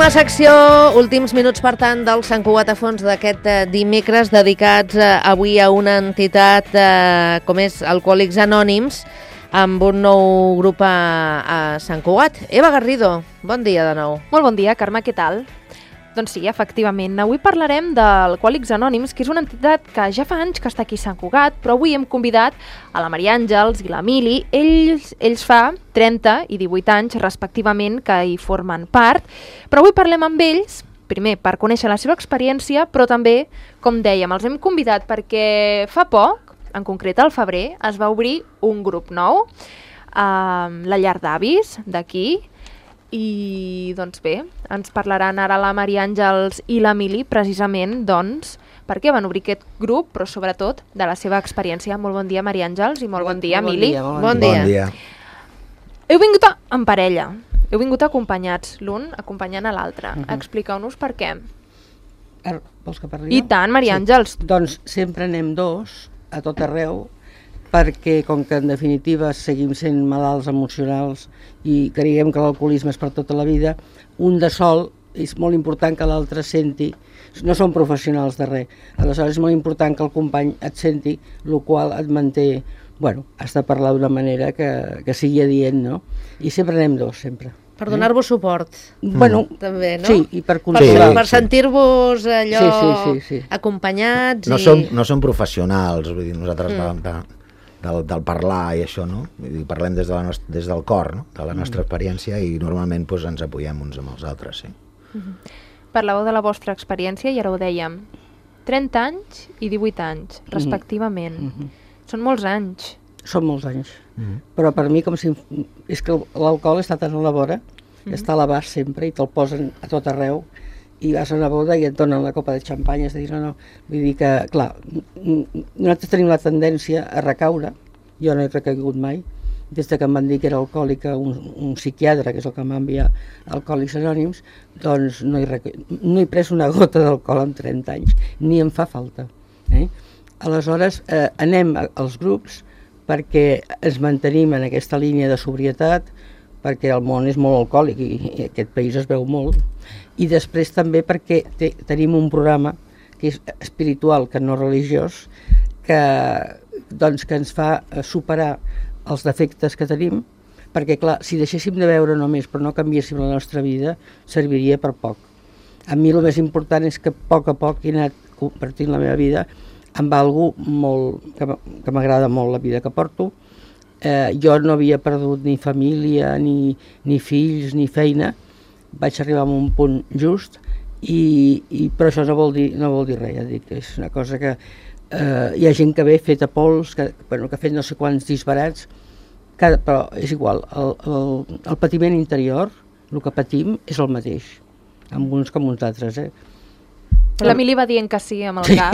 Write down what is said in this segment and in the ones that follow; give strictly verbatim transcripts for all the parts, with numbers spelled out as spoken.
Última secció, últims minuts, per tant, del Sant Cugat a fons d'aquest eh, dimecres, dedicats eh, avui a una entitat eh, com és Alcohòlics Anònims, amb un nou grup a, a Sant Cugat. Eva Garrido, bon dia de nou. Molt bon dia, Carme, què tal? Doncs sí, efectivament, avui parlarem d'Alcohòlics Anònims, que és una entitat que ja fa anys que està aquí a Sant Cugat, però avui hem convidat a la Maria Àngels i l'Emili. Ells, ells fa trenta i divuit anys, respectivament, que hi formen part, però avui parlem amb ells, primer, per conèixer la seva experiència, però també, com dèiem, els hem convidat perquè fa poc, en concret al febrer, es va obrir un grup nou, a la llar d'avis d'aquí, i doncs bé, ens parlaran ara la Maria Àngels i l'Emili precisament doncs per què van obrir aquest grup, però sobretot de la seva experiència. Molt bon dia, Maria Àngels, i molt bon dia, Emili. Bon, bon dia. Bon dia. Heu vingut a, en parella, heu vingut acompanyats, l'un acompanyant a l'altre. Uh-huh. Expliqueu-nos per què. Er, vols que parli I tant, Maria Àngels. Sí. Doncs sempre anem dos, a tot arreu, perquè com que en definitiva seguim sent malalts emocionals i creiem que l'alcoholisme és per tota la vida, un de sol és molt important que l'altre senti, no som professionals de res, aleshores és molt important que el company et senti, el qual et manté, bueno, has de parlar d'una manera que, que sigui adient, no? I sempre anem dos, sempre. Per donar-vos suport, bueno, també, no? Sí, i per Per, consolar. per sentir-vos allò Sí, sí, sí, sí. acompanyats. No, i... som, no som professionals, vull dir, nosaltres Mm. de, de, del, del parlar i això, no? Vull dir, parlem des, de la nostra, des del cor, no? De la nostra experiència, i normalment doncs, ens apoyem uns amb els altres, sí. Uh-huh. Parlàveu de la vostra experiència i ara ho dèiem. trenta anys i divuit anys, respectivament. Mm-hmm. Són molts anys. Són molts anys. Mm. Però per mi com si... És que l'alcohol està tan a la vora, mm. està a l'abast sempre i te'l posen a tot arreu i vas a una boda i et donen la copa de xampany, és a dir, no, no. Vull dir que, clar, nosaltres tenim la tendència a recaure, jo no he recaigut mai, des de que em van dir que era alcohòlica, un, un psiquiatre, que és el que m'ha enviat Alcohòlics Anònims, doncs no he, reca... no he pres una gota d'alcohol en trenta anys, ni em fa falta. Eh? Aleshores, eh, anem als grups perquè ens mantenim en aquesta línia de sobrietat, perquè el món és molt alcohòlic i, i aquest país es veu molt, i després també perquè te, tenim un programa que és espiritual, que no religiós, que, doncs, que ens fa superar els defectes que tenim, perquè clar, si deixéssim de veure només però no canviéssim la nostra vida, serviria per poc. A mi el més important és que a poc a poc he anat compartint la meva vida amb algú molt, que, que m'agrada molt la vida que porto. Eh, jo no havia perdut ni família, ni, ni fills, ni feina. Vaig arribar a un punt just, i, i, però això no vol dir, no vol dir res, ja dic, és una cosa que eh, hi ha gent que ve feta pols, que, bueno, que ha fet no sé quants disbarats, cada, però és igual, el, el, el patiment interior, el que patim, és el mateix, amb uns com uns altres, eh? L'Emili va dient que sí amb el cap,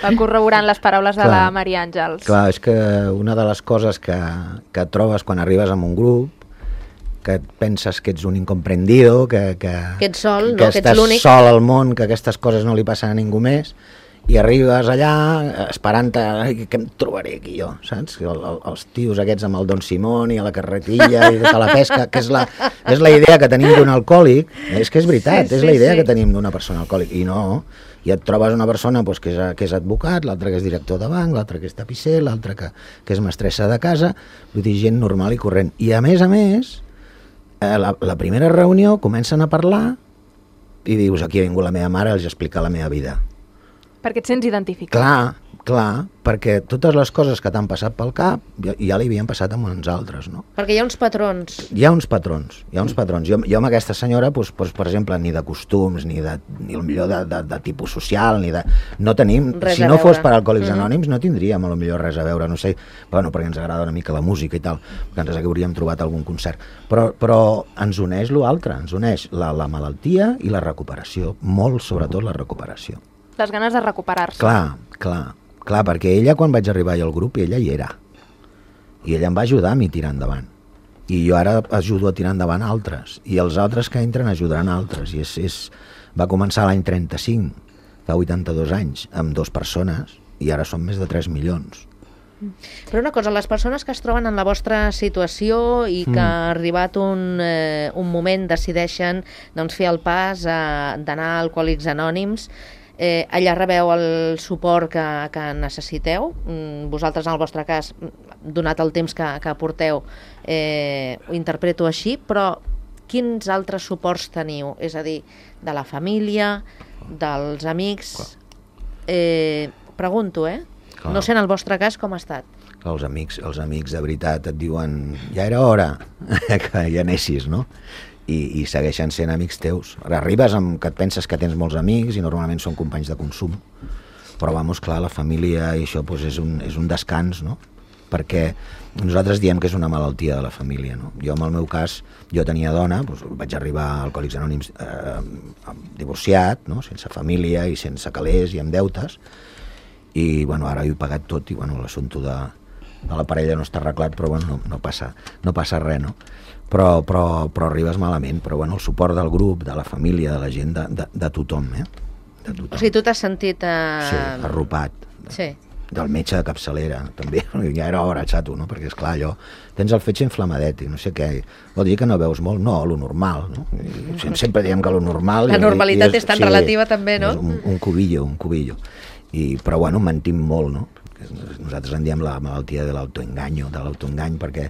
va corroborant les paraules de Clar. la Maria Àngels. Clar, és que una de les coses que, que et trobes quan arribes a un grup, que et penses que ets un incomprendido, que, que, Que ets sol, no? que Que ets estàs l'únic. sol al món, que aquestes coses no li passen a ningú més, i arribes allà esperant-te, ai, què em trobaré aquí jo, saps? El, el, els tios aquests amb el Don Simón i a la carretilla i tota la pesca, que és la, és la idea que tenim d'un alcohòlic, és que és veritat, Sí, és sí, la idea sí. que tenim d'una persona alcohòlica, i no, i et trobes una persona doncs, que, és, que és advocat, l'altre que és director de banc, l'altre que és tapisser, l'altre que, que és mestressa de casa, vull dir, gent normal i corrent. I a més a més, eh, la, la primera reunió comencen a parlar i dius, aquí ha vingut la meva mare, els explica la meva vida. Perquè et sents identificat. Clar, clar, perquè totes les coses que t'han passat pel cap ja, ja li havien passat amb uns altres, no? Perquè hi ha uns patrons. Hi ha uns patrons, hi ha uns patrons. Jo, jo amb aquesta senyora, doncs, doncs, per exemple, ni de costums, ni, de, ni el millor de, de, de tipus social, ni de... No tenim... Res si a no veure. fos per Alcohòlics Mhm. Anònims, no tindríem a lo millor res a veure, no sé, bueno, perquè ens agrada una mica la música i tal, que ens hauríem trobat algun concert. Però, però ens uneix l'altre, ens uneix la, la malaltia i la recuperació, molt sobretot la recuperació. Les ganes de recuperar-se. Clar, clar, clar, perquè ella quan vaig arribar al grup, ella hi era. I ella em va ajudar a mi a tirar endavant. I jo ara ajudo a tirar endavant altres. I els altres que entren ajudaran altres. I és, és... va començar l'any trenta-cinc, fa vuitanta-dos anys, amb dues persones, i ara són més de tres milions. Però una cosa, les persones que es troben en la vostra situació i que mm. ha arribat un, eh, un moment decideixen doncs, fer el pas eh, d'anar a Alcohòlics Anònims, eh, allà rebeu el suport que, que necessiteu. Mm, vosaltres, en el vostre cas, donat el temps que, que porteu, eh, ho interpreto així, però quins altres suports teniu? És a dir, de la família, dels amics... Eh, pregunto, eh? Clar. No sé en el vostre cas com ha estat. Els amics, els amics de veritat et diuen ja era hora que ja anessis, no? I, i segueixen sent amics teus. Arribes amb que et penses que tens molts amics i normalment són companys de consum, però vamos, clar, la família i això pues, és, un, és un descans, no? Perquè nosaltres diem que és una malaltia de la família, no? Jo, en el meu cas, jo tenia dona, doncs, vaig arribar a Alcohòlics Anònims eh, divorciat, no? Sense família i sense calés i amb deutes, i bueno, ara ho he pagat tot i bueno, l'assumpte de, de la parella no està arreglat, però bueno, no, no, passa, no passa res, no? Però, però, però arribes malament, però bueno, el suport del grup, de la família, de la gent, de, de, de tothom, eh? De tothom. O sigui, tu t'has sentit... Eh... Sí, arropat. Sí. Del metge de capçalera, també, ja era hora, xato, no? Perquè, esclar, allò, tens el fetge inflamadet i no sé què, vol dir que no veus molt? No, lo normal, no? I sempre diem que lo normal... La normalitat i és, és tan sí, relativa també, no? Un, un cubillo, un cubillo. I, però bueno, mentim molt, no? Nosaltres en diem la malaltia de l'autoenganyo, de l'autoengany, perquè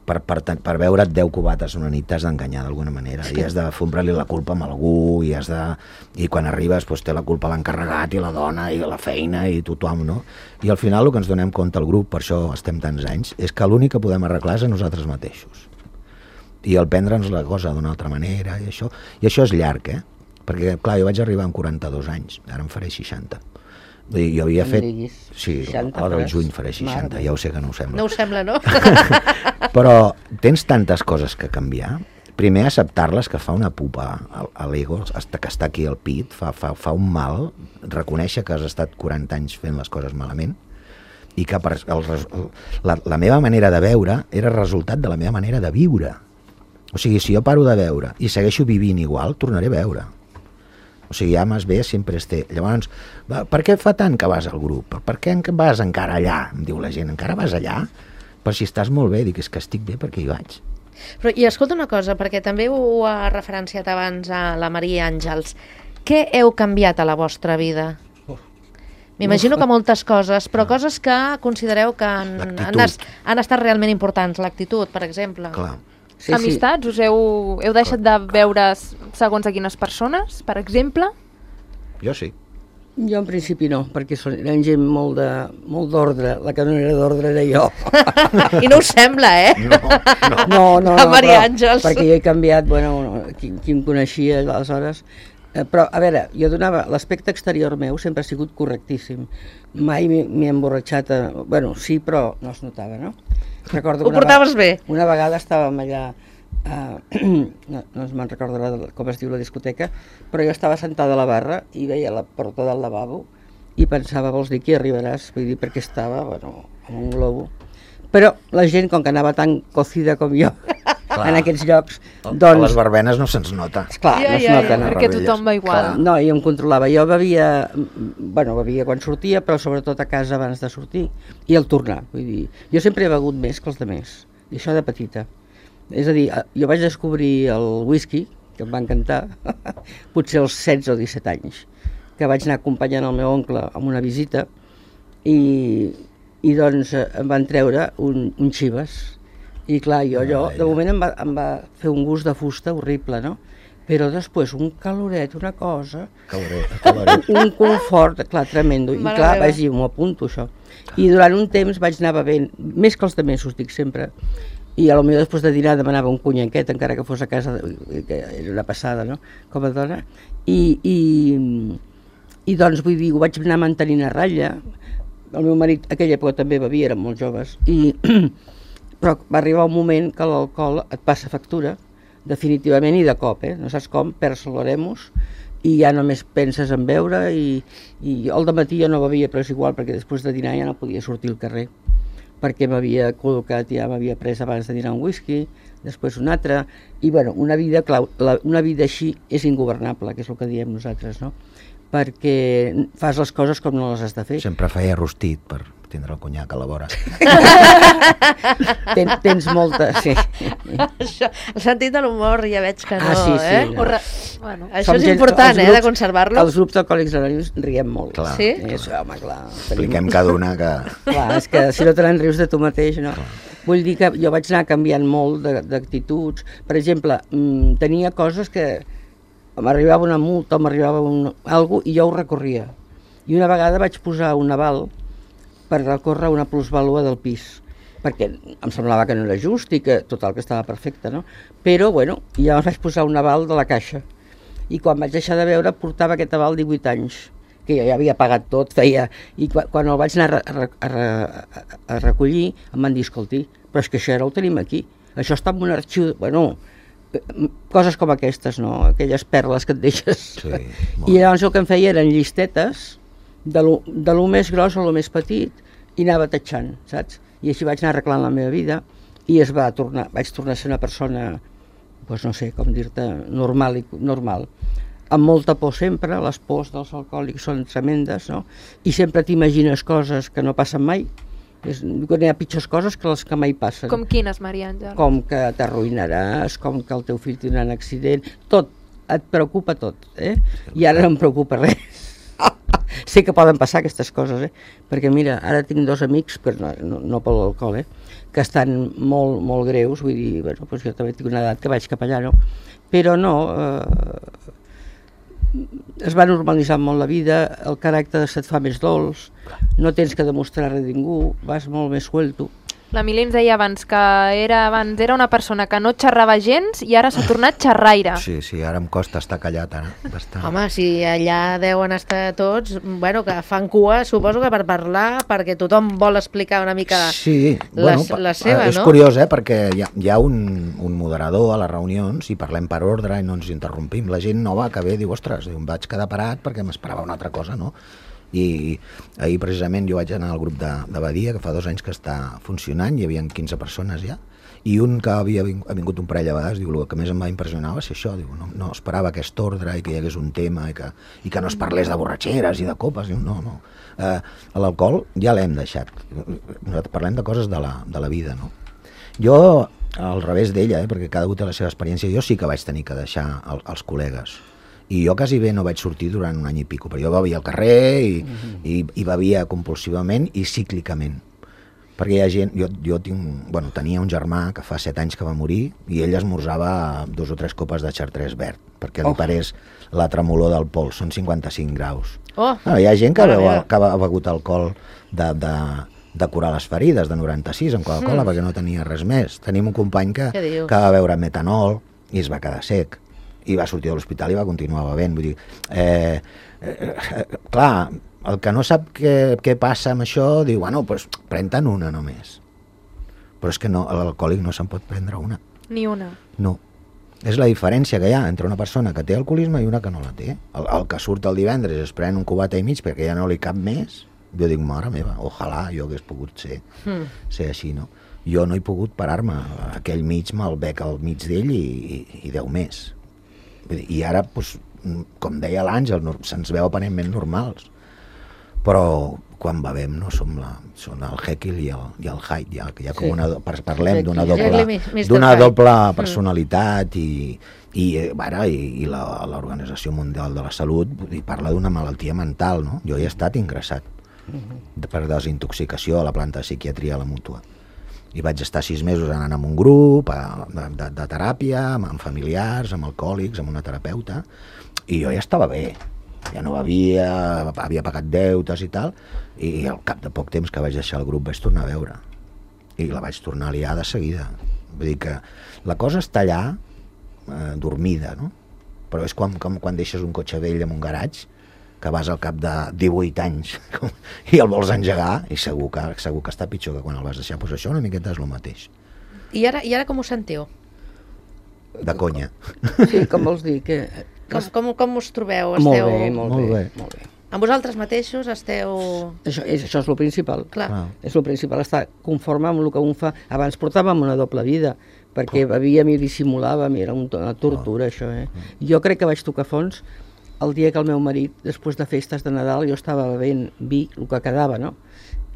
per, per, per veure't deu cubates una nit t'has d'enganyar d'alguna manera, i has de fondre-li la culpa amb algú, i, has de, i quan arribes doncs, té la culpa l'encarregat i la dona i la feina i tothom, no? I al final el que ens donem compte al grup, per això estem tants anys, és que l'únic que podem arreglar és a nosaltres mateixos. I el prendre'ns la cosa d'una altra manera, i això, i això és llarg, eh? Perquè, clar, jo vaig arribar amb quaranta-dos anys, ara em faré seixanta. Jo havia fet... Sí, ara al juny faré seixanta, ja ho sé que no ho sembla. No ho sembla, no? Però tens tantes coses que canviar. Primer, acceptar-les, que fa una pupa a l'ego, que està aquí al pit, fa, fa, fa un mal, reconèixer que has estat quaranta anys fent les coses malament, i que per, el, la, la meva manera de veure era resultat de la meva manera de viure. O sigui, si jo paro de veure i segueixo vivint igual, tornaré a veure. O sigui, ja més bé sempre es té. Llavors, per què fa tant que vas al grup? Per què vas encara allà? Em diu la gent, encara vas allà? Per si estàs molt bé, dic, és que estic bé perquè hi vaig. Però, i escolta una cosa, perquè també ho ha referenciat abans a la Maria Àngels. Què heu canviat a la vostra vida? M'imagino que moltes coses, però coses que considereu que han, han, han estat realment importants. L'actitud, per exemple. Clar. Sí, Amistats? Sí. Us heu, heu deixat de veure segons a quines persones, per exemple? Jo sí. Jo en principi no, perquè són, eren gent molt de, molt d'ordre, la que no era d'ordre era jo. I no us sembla, eh? No, no. No, no, la no, Maria però, Àngels. Perquè jo he canviat, bueno, qui, qui em coneixia aleshores, eh, però a veure, jo donava, l'aspecte exterior meu sempre ha sigut correctíssim. Mai m'he emborratxat, a, bueno, sí, però no es notava, no? Recordo ho portaves bé? Una vegada estàvem allà, uh, no, no me'n recordo com es diu la discoteca, però jo estava sentada a la barra i veia la porta del lavabo i pensava, vols dir que hi arribaràs? Vull dir, perquè estava, bueno, amb un globo. Però la gent, com que anava tan cocida com jo, clar, en aquests llocs, doncs... A les verbenes no se'ns nota. Clar, ja, no es ja, nota. Ja, perquè tothom va igual. Clar, no, jo em controlava. Jo bevia, bueno, bevia quan sortia, però sobretot a casa abans de sortir i al tornar. Vull dir, jo sempre he begut més que els altres, i això de petita. És a dir, jo vaig descobrir el whisky, que em va encantar, potser als setze o disset anys, que vaig anar acompanyant el meu oncle amb una visita i... i doncs em van treure un, un Chivas i clar, jo allò, de moment em va, em va fer un gust de fusta horrible, no? Però després un caloret, una cosa, caloret, caloret. un confort, clar, tremendo, i clar, vaig dir, m'ho apunto això, i durant un temps vaig anar bevent, més que els altres, us dic sempre, i a lo millor després de dinar demanava un conyaquet, encara que fos a casa, que era una passada, no?, com a dona, i, i, i doncs vull dir, ho vaig anar mantenint a ratlla. El meu marit, a aquella època també bevia, érem molt joves, i, però va arribar un moment que l'alcohol et passa factura, definitivament i de cop, eh? No saps com, perds l'oremus, i ja només penses en beure, i, i al dematí jo no bevia, però és igual, perquè després de dinar ja no podia sortir al carrer, perquè m'havia col·locat, ja m'havia pres abans de dinar un whisky, després un altre, i bueno, una vida, clar, la, una vida així és ingovernable, que és el que diem nosaltres, no?, perquè fas les coses com no les has de fer. Sempre feia rostit per tindre el conyac a la vora. Ten, tens molta, sí. Això, el sentit de l'humor ja veig que no, Ah, sí, sí, eh? no. Re... Bueno. Això Som és gent- important, els eh, de grups- conservar-lo. Els grups d'alcohòlics anònims riem molt. Clar. Sí? És, home, clar. Expliquem cada una que... Clar, és que si no te n'en rius de tu mateix, no. Vull dir que jo vaig anar canviant molt de- d'actituds. Per exemple, mmm, tenia coses que m'arribava una multa o m'arribava un, algo i jo ho recorria. I una vegada vaig posar un aval per recórrer una plusvàlua del pis, perquè em semblava que no era just i que total que estava perfecte, no? Però, bueno, llavors vaig posar un aval de la caixa. I quan vaig deixar de veure portava aquest aval divuit anys, que jo ja havia pagat tot, feia... I quan, quan el vaig anar a, re, a, re, a recollir em van dir, escolti, però és que això ara ho tenim aquí, això està en un arxiu... Bueno, coses com aquestes, no? Aquelles perles que et deixes. Sí, I llavors el que em feia eren llistetes de lo, de lo més gros a lo més petit i anava tatxant, saps? I així vaig anar arreglant la meva vida i es va tornar, vaig tornar a ser una persona, doncs no sé com dir-te, normal, i, normal. Amb molta por sempre, les pors dels alcohòlics són tremendes, no? I sempre t'imagines coses que no passen mai. És, hi ha pitjors coses que les que mai passen. Com quines, Maria Àngel? Com que t'arruïnaràs, com que el teu fill tindrà un accident, tot, et preocupa tot, eh? I ara no em preocupa res. Sé que poden passar aquestes coses, eh? Perquè mira, ara tinc dos amics, però no, no, no per l'alcohol, eh? Que estan molt, molt greus, vull dir, bueno, doncs jo també tinc una edat que vaig cap allà, no? Però no, eh, es va normalitzar molt la vida, el caràcter se't fa més dolç, no tens que demostrar res a ningú, vas molt més suelto. L'Emili ens deia abans que era, abans era una persona que no xerrava gens i ara s'ha tornat xerraire. Sí, sí, ara em costa estar callat, ara, bastant. Home, si allà deuen estar tots, bueno, que fan cua, suposo que per parlar, perquè tothom vol explicar una mica Sí, la, bueno, pa- la seva, és no? curiós, eh, perquè hi ha, hi ha un, un moderador a les reunions i parlem per ordre i no ens interrompim. La gent nova que ve diu, ostres, diu, em vaig quedar parat perquè m'esperava una altra cosa, no? I ahir precisament jo vaig anar al grup de, de Badia, que fa dos anys que està funcionant, hi havia quinze persones ja, i un que havia vingut, ha vingut un parell de vegades, diu, el que més em va impressionar va ser això, diu, no, no esperava aquest ordre i que hi hagués un tema i que, i que no es parlés de borratxeres i de copes, diu, no, no. Eh, l'alcohol ja l'hem deixat, nosaltres parlem de coses de la, de la vida, no? Jo, al revés d'ella, eh, perquè cada un té la seva experiència, jo sí que vaig tenir que deixar el, els col·legues. I jo quasi bé no vaig sortir durant un any i pico, però jo bevia al carrer i, uh-huh. i, i bevia compulsivament i cíclicament. Perquè hi ha gent, jo, jo tinc, bueno, tenia un germà que fa set anys que va morir i ell esmorzava dos o tres copes de xartrés verd, perquè li Oh. parés la tremolor del pols, són cinquanta-cinc graus. Oh, No, hi ha gent que, mare beu, meva. que ha begut alcohol de, de, de curar les ferides, de noranta-sis, amb Coca-Cola, Mm. perquè no tenia res més. Tenim un company que, Què dius? que va beure metanol i es va quedar sec. I va sortir de l'hospital i va continuar bevent. Vull dir, eh, eh, eh, clar, el que no sap què, què passa amb això, diu, bueno, doncs pren-te'n una només. Però és que no, l'alcohòlic no se'n pot prendre una. Ni una. No. És la diferència que hi ha entre una persona que té alcoholisme i una que no la té. El, el que surt el divendres es pren un cubata i mig perquè ja no li cap més, jo dic, mare meva, ojalà jo hagués pogut ser, Mm. ser així, no? Jo no he pogut parar-me. Aquell mig me'l bec al mig d'ell i, i, i deu més. Vull dir, i ara, doncs, com deia l'Àngel, no, se'ns veu aparentment normals. Però quan bevem no som la, són el Jekyll i el, i el Hyde, ja, que hi ha com Sí. una, do- par- parlem d'una Jekyll doble, i mister d'una Hyde. doble personalitat i, i, eh, bueno, i, i la- l'Organització Mundial de la Salut vull dir, parla d'una malaltia mental, no? Jo hi he estat ingressat de- per desintoxicació a la planta de psiquiatria a la Mútua. I vaig estar sis mesos anant amb un grup a, de, de, de teràpia, amb, amb familiars, amb alcohòlics, amb una terapeuta, i jo ja estava bé. Ja no bevia, havia pagat deutes i tal, i al cap de poc temps que vaig deixar el grup vaig tornar a veure. I la vaig tornar a liar de seguida. Vull dir que la cosa està allà, eh, dormida, no? Però és com, com quan deixes un cotxe vell en un garatge, que vas al cap de divuit anys i el vols engegar, i segur que, segur que està pitjor que quan el vas deixar. Doncs això una miqueta és el mateix. I ara, i ara com us sentiu? De conya. Sí, com vols dir? Que... Com, com, com us trobeu? Molt Esteu... bé, molt, Molt bé, bé. molt bé. Amb vosaltres mateixos esteu... Això és, això és el principal. Clar. Clar. És el principal, estar conforme amb el que un fa. Abans portàvem una doble vida, perquè bevíem i dissimulàvem, i era un- una tortura, això, eh? Jo crec que vaig tocar fons el dia que el meu marit, després de festes de Nadal, jo estava bevent vi, el que quedava, no?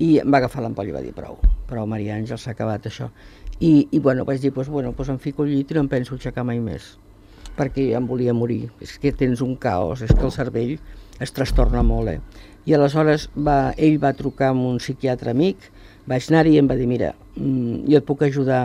I em va agafar l'ampolla i va dir, prou, prou, Maria Àngels, s'ha acabat això. I, i bueno, vaig dir, pues, bueno, pues em fico al llit i no em penso aixecar mai més, perquè em volia morir. És que tens un caos, és que el cervell es trastorna molt, eh? I aleshores va, ell va trucar amb un psiquiatre amic, vaig anar-hi i em va dir, mira, mm, jo et puc ajudar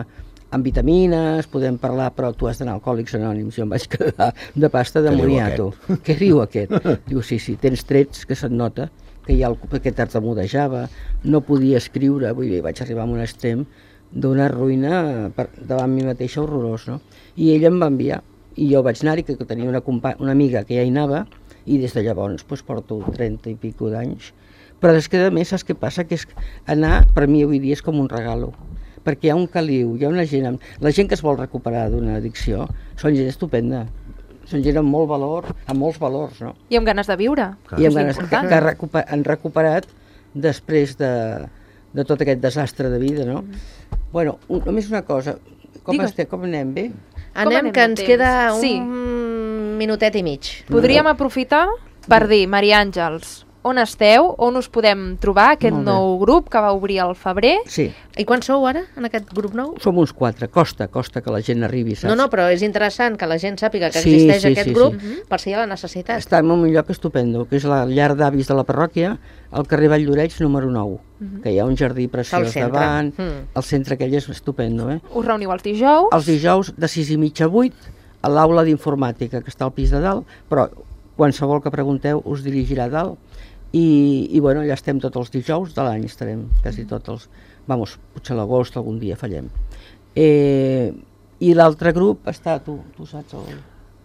amb vitamines, podem parlar, però tu has d'anar a Alcohòlics Anònims. Jo em vaig quedar de pasta de moniato. Què diu aquest? Diu, sí, sí, tens trets que se't nota, que ja el, que tartamudejava, no podia escriure, vull dir, vaig arribar a un extrem d'una ruïna per, davant mi mateixa horrorós, no? I ell em va enviar, i jo vaig anar-hi, que tenia una, una amiga que ja hi anava, i des de llavors pues, porto trenta i pico d'anys. Però és que a més saps què passa? Que és anar, per mi avui dia és com un regalo, perquè hi ha un caliu, hi ha una gent, la gent que es vol recuperar d'una addicció, són gent estupenda, són gent amb molt valor, amb molts valors, no? I amb ganes de viure. Clar. I amb ganes que, que recuper, han recuperat després de, de tot aquest desastre de vida, no? Mm. Bueno, un, només una cosa, com, estem, com anem bé? Anem, anem que ens temps? Queda un sí. minutet i mig. Podríem no. aprofitar per dir, Maria Àngels, on esteu, on us podem trobar aquest nou grup que va obrir al febrer. Sí. I quan sou ara, en aquest grup nou? Som uns quatre, costa, costa que la gent arribi, saps? No, no, però és interessant que la gent sàpiga que sí, existeix sí, aquest sí, grup sí. per si hi ha la necessitat. Està en un lloc estupendo, que és la llar d'avis de la parròquia, al carrer Valldoreix número nou, uh-huh. que hi ha un jardí preciós davant, mm. el centre aquell és estupendo. Eh? Us reuniu els dijous? Els dijous de sis i mitja a vuit, a l'aula d'informàtica, que està al pis de dalt, però qualsevol que pregunteu us dirigirà a dalt. I, i bueno, ja estem tots els dijous de l'any, estarem quasi tots els... Vamos, potser a l'agost algun dia fallem. Eh, I l'altre grup està, tu, tu saps el...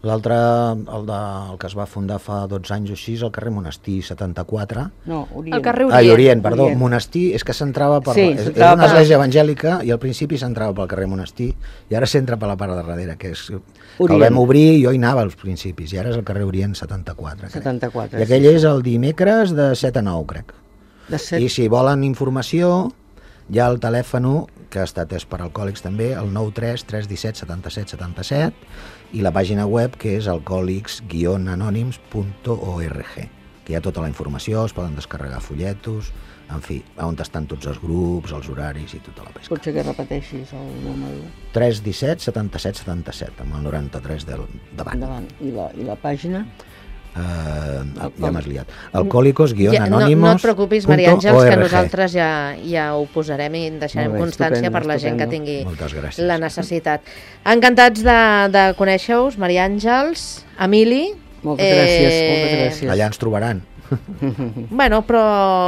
L'altre, el, de, el que es va fundar fa dotze anys o així, al carrer Monestir setanta-quatre. No, Orient. El carrer Orient. Ah, Orient, perdó. Orient. Monestir és que s'entrava per... Sí, és, és una església evangèlica i al principi s'entrava pel carrer Monestir i ara s'entra per la part de darrere, que és... Orient. El vam obrir i jo hi anava als principis i ara és el carrer Orient setanta-quatre. setanta-quatre. I aquell sí. és el dimecres de set a nou, crec. De set... I si volen informació, hi ha el telèfon que està atès per alcohòlics també, el nou tres tres un set setanta-set setanta-set, i la pàgina web que és alcohòlics guion anònims punt org, que hi ha tota la informació, es poden descarregar folletos, en fi, on estan tots els grups, els horaris i tota la pesca. Potser que repeteixis el número. tres un set setanta-set setanta-set, amb el noranta-tres del davant. Davant. I la, i la pàgina? Uh, ja m'has liat. Alcohòlicos guion anònimos. No, no et preocupis, Maria Àngels, que nosaltres ja, ja ho posarem i en deixarem bé, constància per la gent que tingui la necessitat. Encantats de, de conèixer-us, Maria Àngels, Emili. Moltes eh... gràcies, moltes gràcies. Allà ens trobaran. Bueno, però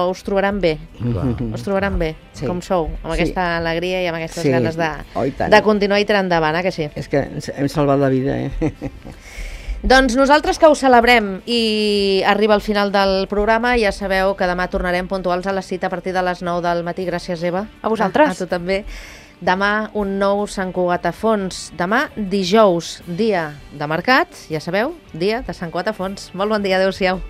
us trobaran bé. Clar. Us trobaran bé, sí. Com sou, amb sí. aquesta alegria i amb aquestes sí. ganes de, oh, de continuar i tirar endavant, eh, que sí? És que hem salvat la vida, eh? Doncs nosaltres que ho celebrem i arriba al final del programa, ja sabeu que demà tornarem puntuals a la cita a partir de les nou del matí. Gràcies, Eva. A vosaltres. A, a tu també. Demà un nou Sant Cugat a Fons. Demà dijous, dia de mercat, ja sabeu, dia de Sant Cugat a Fons. Molt bon dia, adeu-siau.